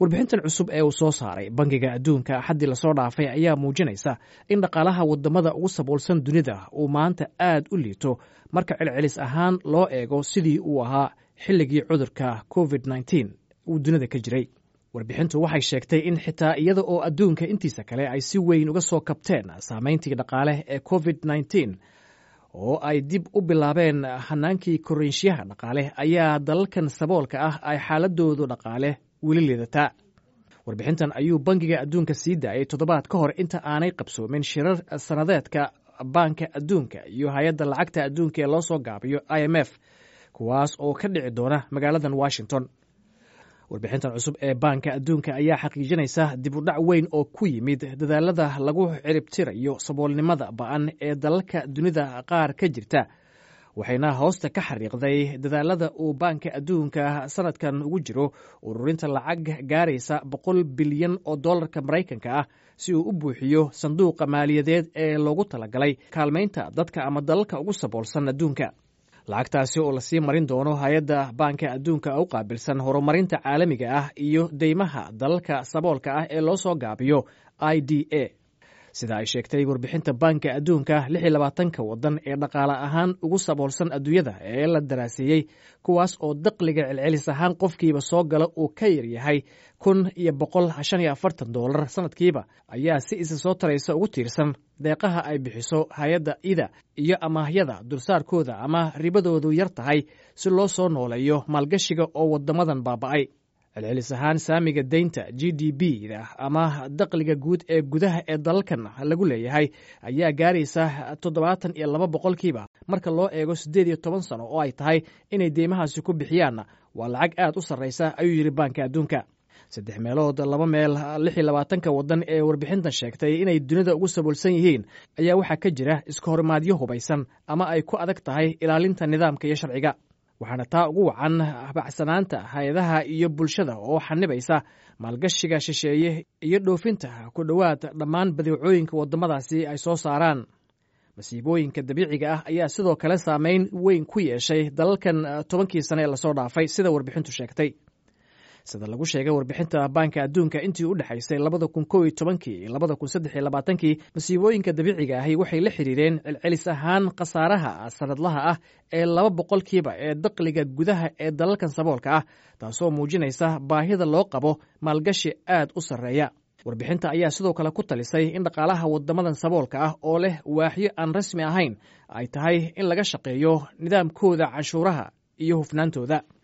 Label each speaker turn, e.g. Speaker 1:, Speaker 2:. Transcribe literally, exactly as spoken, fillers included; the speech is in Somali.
Speaker 1: Warbixintan cusub ee uu soo saaray Bangiga Adduunka Axaddii lasoo dhaafay ayaa muujinaysa in dhaqaalaha wadamada ugu saboolsan dunida uu maanta aad u liito marka celcelis ahaan loo eego sidii uu ahaa xilligii cudurka covid nineteen uu dunida ka jiray. Warbixintu waxay sheegtay in xitaa iyada oo adduunka intiisa kale ay si weyn uga soo kabteen saameyntii dhaqaale ee covid nineteen oo ay dib u bilaabeen hanaankii koriinshiyaha dhaqaale, ayaa dalalkan saboolka ah ay xaaladoodu dhaqaale weli liidataa. Warbixintan ayuu Bangiga Adduunka sii daayay toddobaad ka hor inta aanay qabsoomin shirar sanadeedka Baanka Adduunka iyo Hay-adda Lacagta Adduunka ee loo soo gaabiyo I M F, kuwaas oo ka dhici doona magaaladan Washington. Warbixintan cusub ee Baanka Adduunka ayaa xaqiijinaysa dib u dhac weyn oo ku yimid dadaalada lagu ciribtirayo saboolnimada ba'an ee dalalka dunida qaar ka jirta, waxayna hoosta ka xariiqday dadaalada uu Baanka Adduunka sanadkan ugu jiro ururinta lacag gaaraysa boqol bilyan oo dollarka Maraykanka ah si uu u buuxiyo sanduuqa maaliyadeed ee loogu talagalay kaalmaynta dadka ama dalalka ugu saboolsan adduunka, lacagtaasi oo lasii marin doono hay-adda Baanka Adduunka u qaabilsan horumarinta caalamiga ah iyo deymaha dalalka saboolka ah ee loo soo gaabiyo I D A. Sida ay sheegtay warbixinta Baanka Adduunka, lix iyo labaatanka waddan ee dhaqaale ahaan ugu saboolsan adduunyada ee la daraaseeyey, kuwaas oo dakhliga celcelis ahaan qofkiiba soo gala uu ka yar yahay kun iyo boqol shan iyo afartan doolar sanadkiiba, ayaa si isa soo taraysa ugu tiirsan deeqaha ay bixiso hay-adda I D A iyo amaahyada dulsaarkooda ama ribadoodu yar tahay si loo soo nooleeyo maalgashiga oo waddamadan baaba'ay. Celcelis ahaan, saamiga deynta G D P da ama dakhliga guud ee gudaha ee dalalkan lagu leeyahay ayaa gaaraysa toddobaatan iyo laba boqolkiiba marka loo eego siddeed iyo toban sano oo ay tahay inay deymahaasi ku bixiyaan. Waa lacag aad u sarraysa, ayuu yidhi Baanka Adduunka. Saddex meelood laba meel lix iyo labaatanka waddan ee warbixintan sheegtay inay dunida ugu saboolsan yihiin ayaa waxaa ka jira iska horimaadyo hubaysan ama ay ku adag tahay ilaalinta nidaamka iyo sharciga, waxaana taa ugu wacan habacsanaanta hay-adaha iyo bulshada oo xanibaysa maalgashiga shisheeye iyo dhoofinta ku dhowaad dhammaan badeecooyinka waddamadaasi ay soo saaraan. Masiibooyinka dabiiciga ah ayaa sidoo kale saameyn weyn ku yeeshay dalalkan tobankii sane ee lasoo dhaafay, sida warbixintu sheegtay. Sida lagu sheegay warbixinta Baanka Adduunka, intii u dhexaysay labada kun kow iyo tobankii iyo labada kun saddex iyo labaatankii, masiibooyinka dabiiciga ahi waxay la xiriireen celcelis ahaan khasaaraha sanadlaha ah ee laba boqolkiiba ee dakhliga gudaha ee dalalkan saboolka ah, taasoo muujinaysa baahida loo qabo maalgashi aad u sarreeya. Warbixinta ayaa sidoo kale ku talisay in dhaqaalaha waddamadan saboolka ah oo leh waaxyo aan rasmi ahayn ay tahay in laga shaqeeyo nidaamkooda canshuuraha iyo hufnaantooda.